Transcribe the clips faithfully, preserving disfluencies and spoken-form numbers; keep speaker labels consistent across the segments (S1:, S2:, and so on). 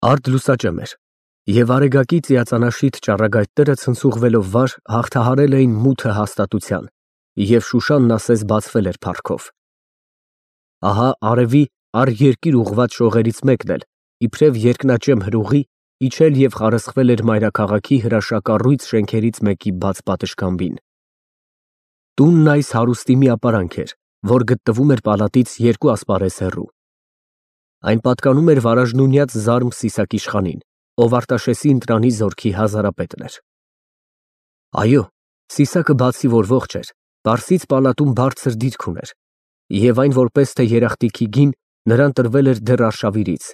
S1: Արդ լուսաճեմ էր, և արեգակի ծիածանաշիթ ճառագայթները ցնցուղվելով վար հաղթահարել էին մութը հաստատության, և Շուշանն ասես բացվել էր փառքով։ Ահա արևի առ երկիր ուղղված շողերից մեկն էլ, իբրև երկնաճեմ հրուղի, իջել և խարսխվել էր մայրաքաղաքի հրաշակառույց շենքերից մեկի բաց պատշգամբին։ Տունն այս հարուստի մի ապարանք էր, որ գտնվում էր պալատից երկու ասպարեզ հեռու։ Այն պատկանում էր վարաժնունյաց Զարմ Սիսակ իշխանին, ով Արտաշեսի ընտրանի զորքի հազարապետն էր։ Այո, Սիսակը բացի որ ողջ էր, Պարսից պալատում բարձր դիրք ուներ, և այն որպես թե երախտիքի գին նրան տրվել էր դեռ արշավիրից,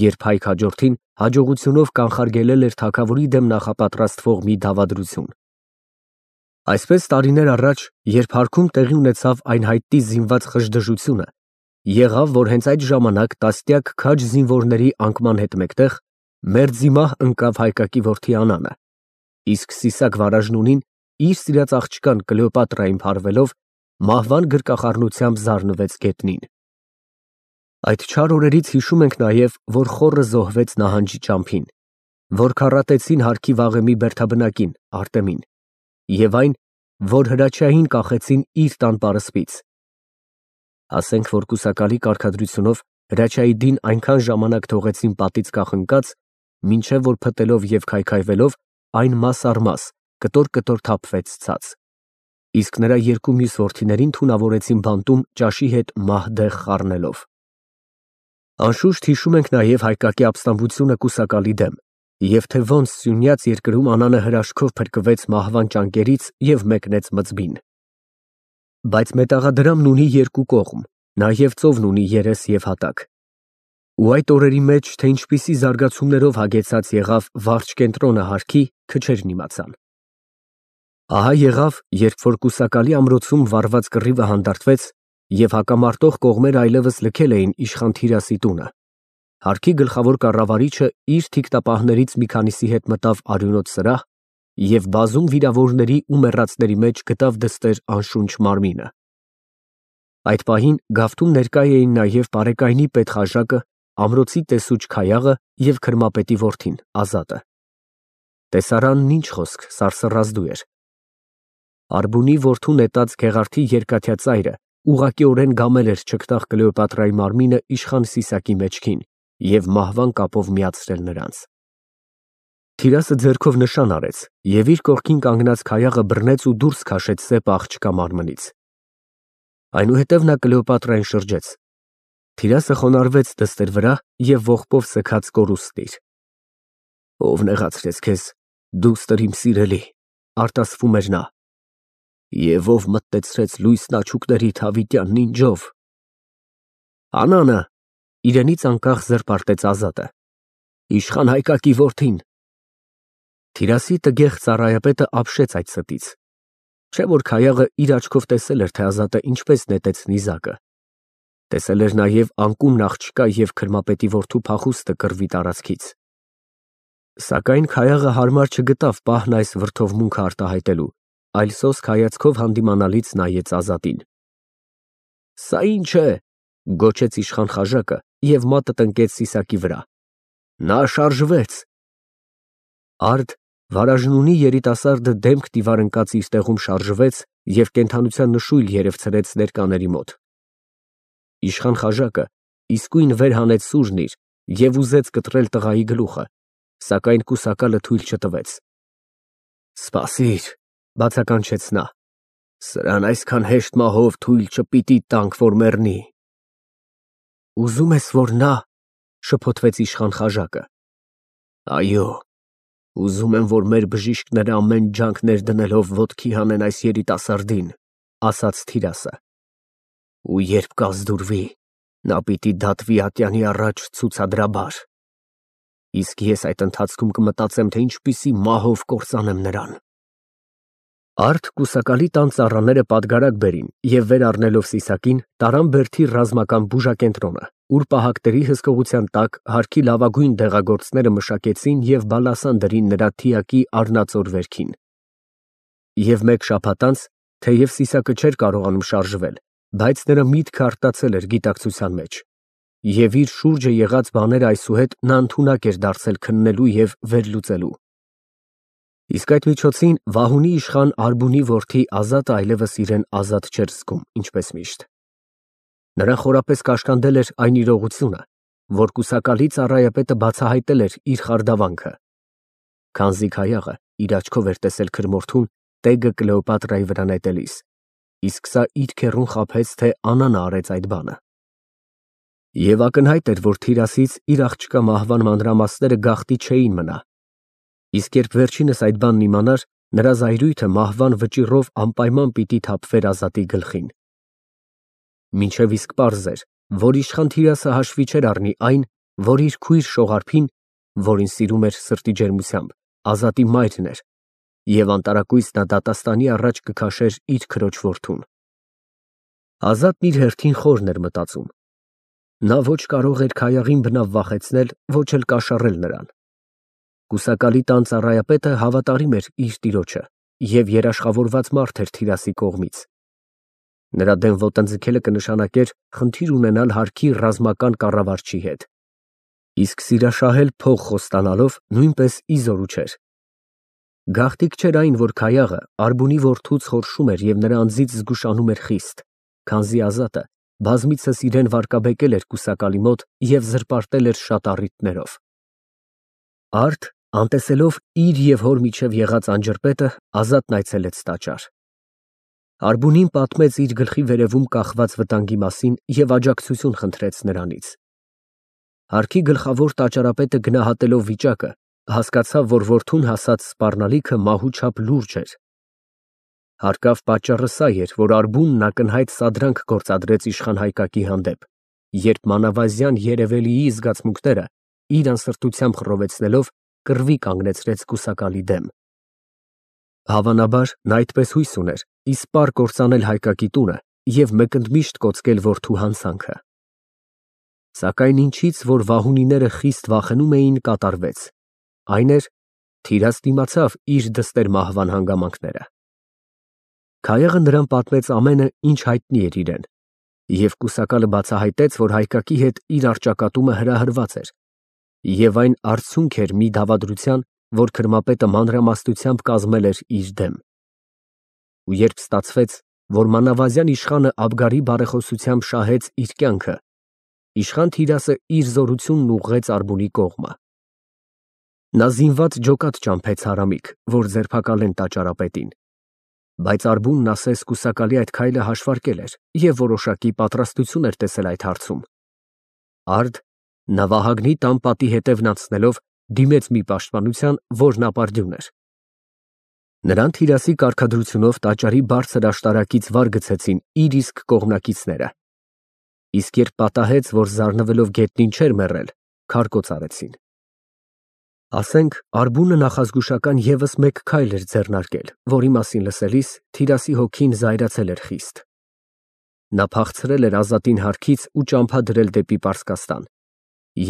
S1: երբ Հայք հաջորդին հաջողությունով կանխարգելել էր թագավորի դեմ նախապատրաստվող մի դավադրություն։ Այսպես տարիներ առաջ, երբ հարքում տեղի ունեցավ այն հայտնի զինված խժդժությունը, եղավ, որ հենց այդ ժամանակ տասնյակ քաջ զինվորների անկման հետ մեկտեղ մերձիմահ ընկավ Հայկակի որդի Անանը, իսկ Սիսակ Վարաժնունին իր սիրած աղջկան Կլեոպատրային փարվելով մահվան գրկախառնությամբ զարնվեց գետնին։ Այդ չար օրերից հիշում ենք նաև, որ խոռը զոհվեց նահանջի ճամփին, որ քառատեցին հարքի վաղեմի բերդաբնակին Արտեմին, և այն, որ Հրաչյային կախեցին իր տան պարսպից։ Ասենք, որ կուսակալի կարգադրությունով Հրաչյայի այնքան ժամանակ թողեցին պատից կախնկած, մինչև որ փտելով և քայքայվելով այն մաս֊առ-մաս, կտոր֊կտոր թափվեց ցած, իսկ նրա երկու մյուս որդիներին թունավորեցին բանտում ճաշի հետ մահ֊դեղ խառնելով։ Անշուշտ հիշում ենք նաև Հայկակի ապստամբությունը կուսակալի դեմ, և թե ոնց սյունյաց երկրում Անանը հրաշքով փրկվեց մահվան ճանկերից և մեկնեց մզվին։ Բայց մետաղադրամն ունի երկու կողմ, նաև ծովն ունի երես և հատակ։ Ու այդ օրերի մեջ, թե ինչպիսի զարգացումներով հագեցած եղավ վարչկենտրոնը հարքի, քչերն իմացան։ Ահա եղավ, երբ որ կուսակալի ամրոցում վառված կռիվը հանդարտվեց, և հակամարտող կողմերը այլևս լքել էին իշխան Թիրասի տունը, հարքի գլխավոր կառավարիչը իր թիկնապահներից մի քանիսի հետ մտավ արյունոտ սրահ և բազում վիրավորների ու մեռածների մեջ գտավ դստեր անշունչ մարմինը։ Այդ պահին գավթում ներկա էին նաև Պարեկայնի պետխաժակը, ամրոցի տեսուչ Քայաղը և քրմապետի որդին Ազատը։ Տեսարանն ինչ խոսք, սարսռազդու էր։ Արբունի որդու նետած Գեղարդի երկաթյա ծայրը ուղղակիորեն գամել էր չգտախ Կլեոպատրայի մարմինը իշխան Սիսակի մեջքին և մահվան կապով միացրել նրանց։ Թիրասը ձեռքով նշան արեց և իր կողքին կանգնած Քայաղը բռնեց ու դուրս քաշեց սեպը աղջկա մարմնից։ Այնուհետև նա Կլեոպատրային շրջեց։ Թիրասը խոնարհվեց դստեր վրա և ողբով սգաց կորուստն իր։ Ո՞վ նեղացրեց քեզ, դուստր իմ սիրելի, արտասվում էր նա, և ո՞վ մթնեցրեց լույսն աչուկներիդ հավիտյան նինջով։ Անանը, իրենից անկախ զրպարտեց Ազատը, իշխան Հայկակի որդին։ Թիրասի տգեղ ծառայապետը ապշեց այդ ստից, չէ՞ որ Քայաղը իր աչքով տեսել էր, թե Ազատը ինչպես նետեց նիզակը, տեսել էր նաև անկումն աղջկա և քրմապետի որդու փախուստը կռվի տարածքից։ Սակայն Քայաղը հարմար չգտավ պահն այս վրդովմունքը արտահայտելու, այլ սոսկ հայացքով հանդիմանալից նայեց Ազատին։ Սա ի՞նչ է, գոչեց իշխան խաժակը և մատը տնկեց Սիսակի վրա։ Նա շարժվեց։ Արդ Վարաժնունի երիտասարդը դեմք դիվար ընկած իր տեղում շարժվեց և կենդանության նշույլ երևցրեց ներկաների մոտ։ Իշխան խաժակը իսկույն վեր հանեց սուրն իր և ուզեց կտրել տղայի գլուխը, սակայն կուսակալը թույլ չտվեց։ Սպասիր, բացականչեց նա, սրան այսքան հեշտ մահով թույլ չպիտի տանք, որ մեռնի։ Ուզում ես, որ նա, շփոթվեց իշխան խաժակը։ Այո, ուզում եմ, որ մեր բժիշկները ամեն ջանք ներդնելով ոտքի հանեն այս երիտասարդին, ասաց Թիրասը։ Ու երբ կազդուրվի, նա պիտի դատվի ատյանի առաջ ցուցադրաբար, իսկ ես այդ ընթացքում կմտածեմ, թե ինչպիսի մահով կործանեմ նրան։ Արդ կուսակալի տան ծառաները պատգարակ բերին և վեր առնելով Սիսակին, տարան բերդի ռազմական բուժակենտրոնը, ուր պահակների հսկողության տակ հարքի լավագույն դեղագործները մշակեցին և բալասան դրին նրա թիակի առնածոր վերքին։ Եվ մեկ շաբաթ անց, թեև Սիսակը չէր կարողանում շարժվել, բայց նրա միտքը արտացել էր գիտակցության մեջ, և իր շուրջը եղած բաները այսուհետ նա ընդունակ էր դարձել քննելու և վերլուծելու։ Իսկ այդ միջոցին Վահունի իշխան Արբունի որդի Ազատը այլևս իրեն ազատ չէր զգում, ինչպես միշտ։ Նրան խորապես կաշկանդել էր այն իրողությունը, որ կուսակալի ծառայապետը բացահայտել էր իր խարդավանքը։ Քանզի Քայաղը իր աչքով էր տեսել քրմորթուն տեգը Կլեոպատրայի վրա նետելիս, իսկ սա իր քեռուն խաբեց, թե Աննան արեց այդ բանը։ Եվ ակնհայտ էր, որ Թիրասից իր աղջկա մահվան մանրամասները գաղտնի չէին մնա, իսկ երբ վերջինս այդ բանն իմանար, նրա զայրույթը մահվան վճիռով անպայման պիտի թափվեր Ազատի գլխին։ Մինչև իսկ պարզ էր, որ իշխան Թիրասը հաշվի չէր առնի այն, որ իր քույր Շողարփին, որին սիրում էր սրտի ջերմությամբ, Ազատի մայրն էր, և անտարակույս նա դատաստանի առաջ կքաշեր իր քրոջ որդուն։ Ազատն իր հերթին խորն էր մտածում։ Նա ոչ կարող էր Քայաղին բնավ վախեցնել, ոչ էլ կաշառել նրան։ Կուսակալի տան ծառայապետը հավատարիմ էր իր տիրոջը և երաշխավորված մարդ էր Թիրասի կողմից։ Նրա դեմ ոտնձգելը կնշանակեր խնդիր ունենալ հարկի ռազմական կառավարչի հետ, իսկ սիրաշահել փող խոստանալով նույնպես իզորու չէր։ Գաղտնիք չէր այն, որ Քայաղը Արբունի որդուց խորշում էր և նրա անձից զգուշանում էր խիստ, քանզի Ազատը բազմիցս իրեն վարկաբեկել էր կուսակալի մոտ և զրպարտել էր շատ առիթներով։ Արդ, անտեսելով իր և հոր միջև եղած անջրպետը, Ազատն այցելեց տաճար։ Արբունին պատմեց իր գլխի վերևում կախված վտանգի մասին և աջակցություն խնդրեց նրանից։ Հարկի գլխավոր տաճարապետը գնահատելով վիճակը, հասկացավ, որ որդուն հասած սպառնալիքը մահու չափ լուրջ էր։ Հարկավ պատճառը սա էր, որ Արբունն ակնհայտ սադրանք գործադրեց իշխան Հայկակի հանդեպ, երբ մանավազյան երևելիի զգացմունքները իր անսրտությամբ խռովեցնելով կռվի կանգնեցրեց կուսակալի դեմ։ Հավանաբար, նա այդպես հույս ուներ իսպառ կործանել Հայկակի տունը և մեկընդմիշտ կոծկել որդու հանցանքը։ Սակայն ինչից, որ վահունիները խիստ վախենում էին, կատարվեց, այն էր, Թիրաս դիմացավ իր դստեր մահվան հանգամանքները։ Քայաղը նրան պատմեց ամենը, ինչ հայտնի էր իրեն, և կուսակալը բացահայտեց, որ Հայկակի հետ իր առճակատումը հրահրված էր, և այն արդյունք էր մի դավադրության, որ քրմապետը մանրամասնությամբ կազմել էր իր դեմ։ Ու երբ ստացվեց, որ մանավազյան իշխանը Աբգարի բարեխոսությամբ շահեց իր կյանքը, իշխան Թիրասը իր զորությունն ուղղեց Արբունի կողմը։ Նա զինված ջոկատ ճամփեց հարամիկ, որ ձերբակալեն տաճարապետին, բայց Արբունն ասես կուսակալի այդ քայլը հաշվարկել էր և որոշակի պատրաստություն էր տեսել այդ հարցում։ Արդ, նա Վահագնի տան պատի հետևն անցնելով դիմեց մի պաշտպանության, որն ապարդյուն էր։ Նրան Թիրասի կարգադրությունով տաճարի բարձր աշտարակից վար գցեցին իր իսկ կողմնակիցները, իսկ երբ պատահեց, որ զարնվելով գետնին չէր մեռել, քարկոծ արեցին։ Ասենք, Արբունը նախազգուշական ևս մեկ քայլ էր ձեռնարկել, որի մասին լսելիս Թիրասի հոգին զայրացել էր խիստ։ Նա փախցրել էր Ազատին հարկից ու ճամփա դրել դեպի Պարսկաստան,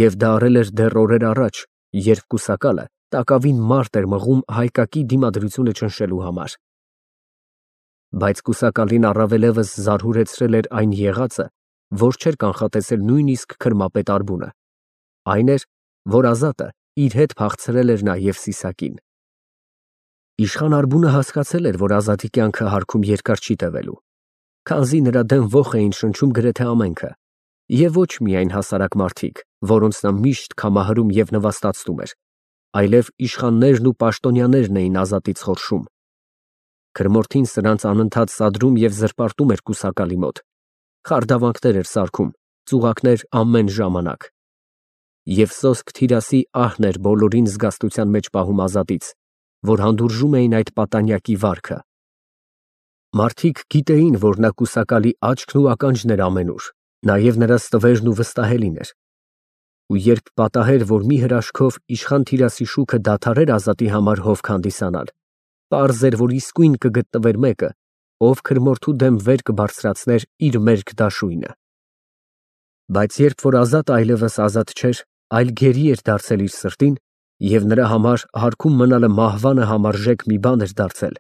S1: և դա արել էր դեռ օրեր առաջ, երբ կուսակալը տակավին մարդ էր մղում Հայկակի դիմադրությունը ճնշելու համար։ Բայց կուսակալին առավելևս զարհուրեցրել էր այն եղածը, որ չէր կանխատեսել նույնիսկ քրմապետ Արբունը, այն էր, որ Ազատը իր հետ փախցրել էր նաև Սիսակին։ Իշխան Արբունը հասկացել էր, որ Ազատի կյանքը հարկում երկար չի տևելու, քանզի նրա դեմ ոխ էին շնչում գրեթե ամենքը, և ոչ միայն հասարակ մարդիկ, որոնց նա միշտ քամահարում և նվաստացնում էր, այլև իշխաններն ու պաշտոնյաներն էին Ազատից խորշում։ Քրմորթին սրանց անընդհատ սադրում և զրպարտում էր կուսակալի մոտ, խարդավանքներ էր սարքում, ծուղակներ ամեն ժամանակ։ Եվ սոսկ Թիրասի ահն էր բոլորին զգաստության մեջ պահում Ազատից, որ հանդուրժում էին այդ պատանյակի վարքը։ Մարդիկ գիտեին, որ նա կուսակալի աչքն ու ականջն էր ամենուր, նաև նրա ստվերն ու վստահելին էր։ Ու երբ պատահեր, որ մի հրաշքով իշխան Թիրասի շուքը դադարեր Ազատի համար հովք հանդիսանալ, պարզ էր, որ իսկույն կգտնվեր մեկը, ով քրմորթու դեմ վեր կբարձրացներ իր մերկ դաշույնը։ Բայց երբ որ Ազատը այլևս ազատ չէր, այլ գերի էր դարձել իր սրտին, և նրա համար հարկում մնալը մահվանը համարժեք մի բան էր դարձել,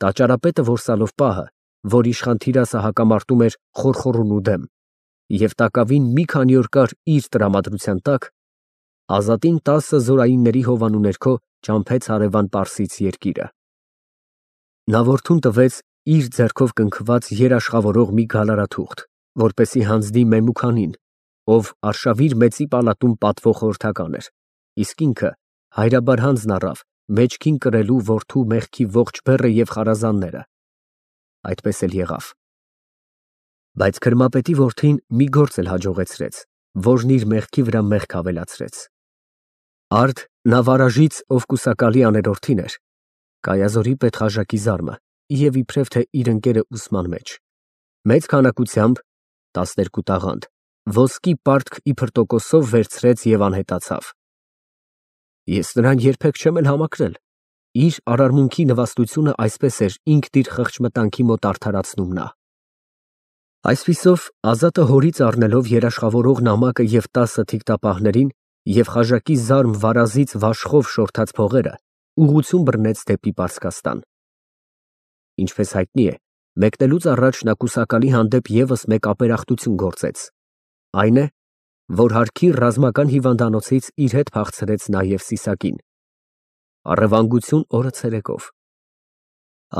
S1: տաճարապետը որսալով պահը, որ իշխան Թիրասը հակամարտում էր խորխորունու դեմ, և տակավին մի քանի օր կար իր տրամադրության տակ, Ազատին տասը զորայինների հովանու ներքո ճամփեց հարևան Պարսից երկիրը։ Նա որդուն տվեց իր ձեռքով կնքված երաշխավորող մի գալարաթուղթ, որպեսզի հանձնի Մեմուքանին, ով Արշավիր մեծի պալատում պատվող խորհրդական էր, իսկ ինքը հայրաբար հանձն առավ մեջքին կրելու որդու մեղքի ողջ բեռը և խարազանները։ Այդպես էլ եղավ։ Բայց քրմապետի որդին մի գործ էլ հաջողեցրեց, որն իր մեղքի վրա մեղք ավելացրեց։ Արդ նա վարաժից, ով կուսակալի աներորդին էր, Կայազորի պետխաժակի զարմը և իբրև թե իր ընկերը ուսման մեջ, մեծ քանակությամբ տասներկու տաղանդ ոսկի պարտք իբր տոկոսով վերցրեց և անհետացավ։ Ես նրան երբեք չեմ էլ համակրել, իր արարմունքի նվաստությունը այսպես էր ինքն իր խղճմտանքի մոտ արդարացնում նա։ Այսպիսով Ազատը հորից առնելով երաշխավորող նամակը և տասը թիկտապահներին և խաժակի զարմ վարազից վաշխով շորթած փողերը, ուղղություն բռնեց դեպի Պարսկաստան։ Ինչպես հայտնի է, մեկնելուց առաջ նա կուսակալի հանդեպ ևս մեկ ապերախտություն գործեց, այն է, որ հարկի ռազմական հիվանդանոցից իր հետ փախցրեց նաև Սիսակին։ Առևանգություն օրը ցերեկով։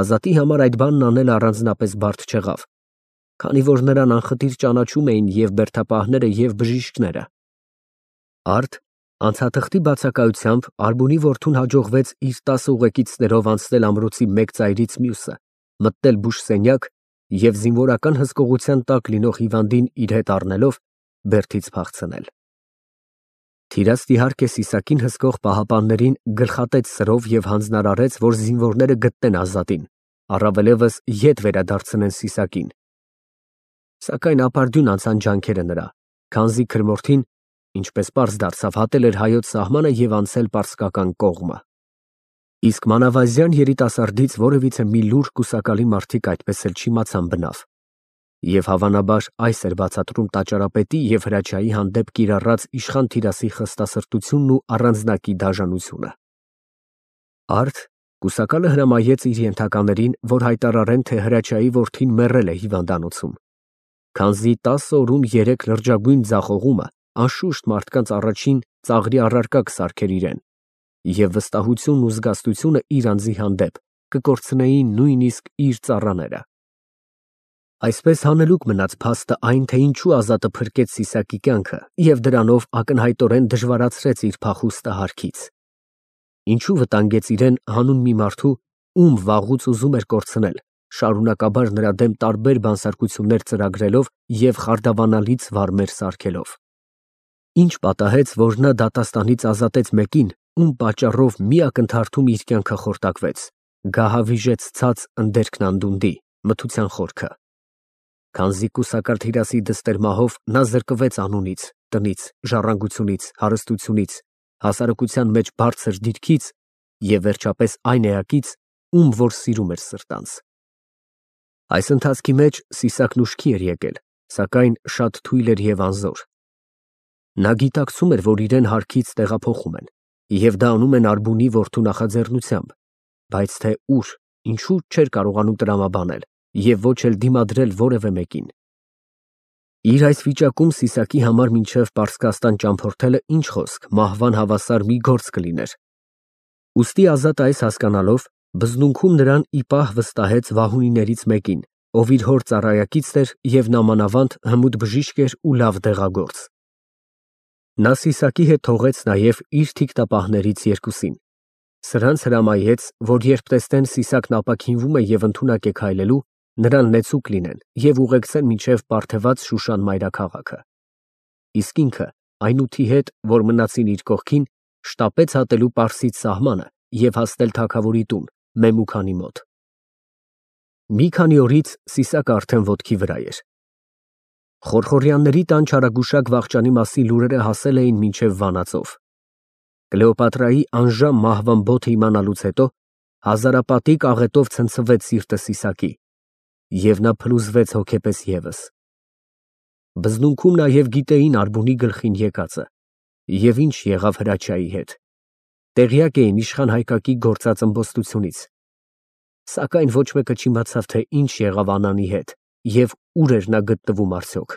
S1: Ազատի համար այդ բանն անելը առանձնապես բարդ չեղավ, քանի որ նրան անխտիր ճանաչում էին և բերդապահները, և բժիշկները։ Արդ անցաթղթի բացակայությամբ Ալբունի որդուն հաջողվեց իր տասը ուղեկիցներով անցնել ամրոցի մեկ ծայրից մյուսը, մտնել բուժսենյակ և զինվորական հսկողության տակ լինող հիվանդին իր հետ առնելով բերդից փախցնել։ Թիրացն իհարկե Սիսակին հսկող պահապաններին գլխատեց սրով և հանձնարարեց, որ զինվորները գտնեն Ազատին, առավելևս ետ վերադարձնեն Սիսակին։ Սակայն ապարդյուն անցան ջանքերը նրա, քանզի քրմորդին, ինչպես պարզ դարձավ, հատել էր հայոց սահմանը և անցել պարսկական կողմը։ Իսկ մանավազյան երիտասարդից որևիցե մի լուռ կուսակալի մարդիկ այդպես էլ չիմացան բնավ։ Եվ հավանաբար այս էր բացատրում տաճարապետի և հրաչյայի հանդեպ կիրառած իշխան Թիրասի խստասրտությունն ու առանձնակի դաժանությունը։ Արդ կուսակալը հրամայեց իր ենթականերին, որ հայտարարեն, թե հրաչյայի որդին մեռել է հիվանդանոցում, քանզի տասը օրում երեք լրջագույն ձախողումը անշուշտ մարդկանց առաջին ծաղրի առարկա կսարքեր իրեն, և վստահությունն ու զգաստությունը իր անձի հանդեպ կկորցնեին նույնիսկ իր ծառաները։ Այսպես հանելուկ մնաց փաստը այն, թե ինչու Ազատը փրկեց Սիսակի կյանքը և դրանով ակնհայտորեն դժվարացրեց իր փախուստը հարկից։ Ինչու վտանգեց իրեն հանուն մի մարդու, ում վաղուց ուզում էր կորցնել, շարունակաբար նրա դեմ տարբեր բանսարկություններ ծրագրելով և խարդավանալից վարմեր սարքելով։ Ինչ պատահեց, որ նա դատաստանից ազատեց մեկին, ում պատճառով մի ակնթարթում իր կյանքը խորտակվեց, գահավիժեց ցած ընդերքն անդունդի, մթության խորքը։ Քանզի կուսակալ Թիրասի դստեր֊մահով նա զրկվեց անունից, տնից, ժառանգությունից, հարստությունից, հասարակության մեջ բարձր դիրքից և վերջապես այն էակից, ում որ սիրում էր սրտանց։ Այս ընթացքի մեջ Սիսակն ուշքի էր եկել, սակայն շատ թույլ էր և անզոր։ Նա գիտակցում էր, որ իրեն հարկից տեղափոխում են, և դա անում են Ալբունի որդու նախաձեռնությամբ, բայց թե ուր, ինչու չէր կարողանում տրամաբանել և ոչ էլ դիմադրել որևէ մեկին։ Իր այս վիճակում Սիսակի համար մինչև Պարսկաստան ճամփորդելը, ինչ խոսք, մահվան հավասար մի գործ կլիներ։ Ուստի Ազատը այս հասկանալով, բզնունքում նրան ի պահ վստահեց վահունիներից մեկին, ով իր հոր ծառայակիցն էր և նամանավանդ հմուտ բժիշկ էր ու լավ դեղագործ։ Նա Սիսակի հետ թողեց նաև իր թիկտապահներից երկուսին։ Սրանց հրամայեց, որ երբ տեսնեն Սիսակն ապաքինվում է և ընդունակ է քայլելու, նրան նեցուկ լինեն և ուղեկցեն մինչև պարթևած Շուշան մայրաքաղաքը։ Իսկ ինքը այն ութի հետ, որ մնացին իր կողքին, շտապեց հատելու Պարսից սահմանը և հասնել թագավորի տուն, Մեմուքանի մոտ։ Մի քանի օրից Սիսակը արդեն ոտքի վրա էր։ Խորխորյանների տան չարագուշակ վախճանի մասին լուրերը հասել էին մինչև Վանաձոր։ Կլեոպատրայի անժամ մահվան բոթը իմանալուց հետո հազարապատիկ աղետով ցնցվեց սիրտը Սիսակի, և նա փլուզվեց հոգեպես ևս։ Բզնունքում նաև գիտեին Ալբունի գլխին եկածը և ինչ եղավ հրաչյայի հետ, տեղյակ էին իշխան Հայկակի գործած ըմբոստությունից, սակայն ոչ մեկը չիմացավ, թե ինչ եղավ Անանի հետ և ուր էր նա գտնվում արդյոք։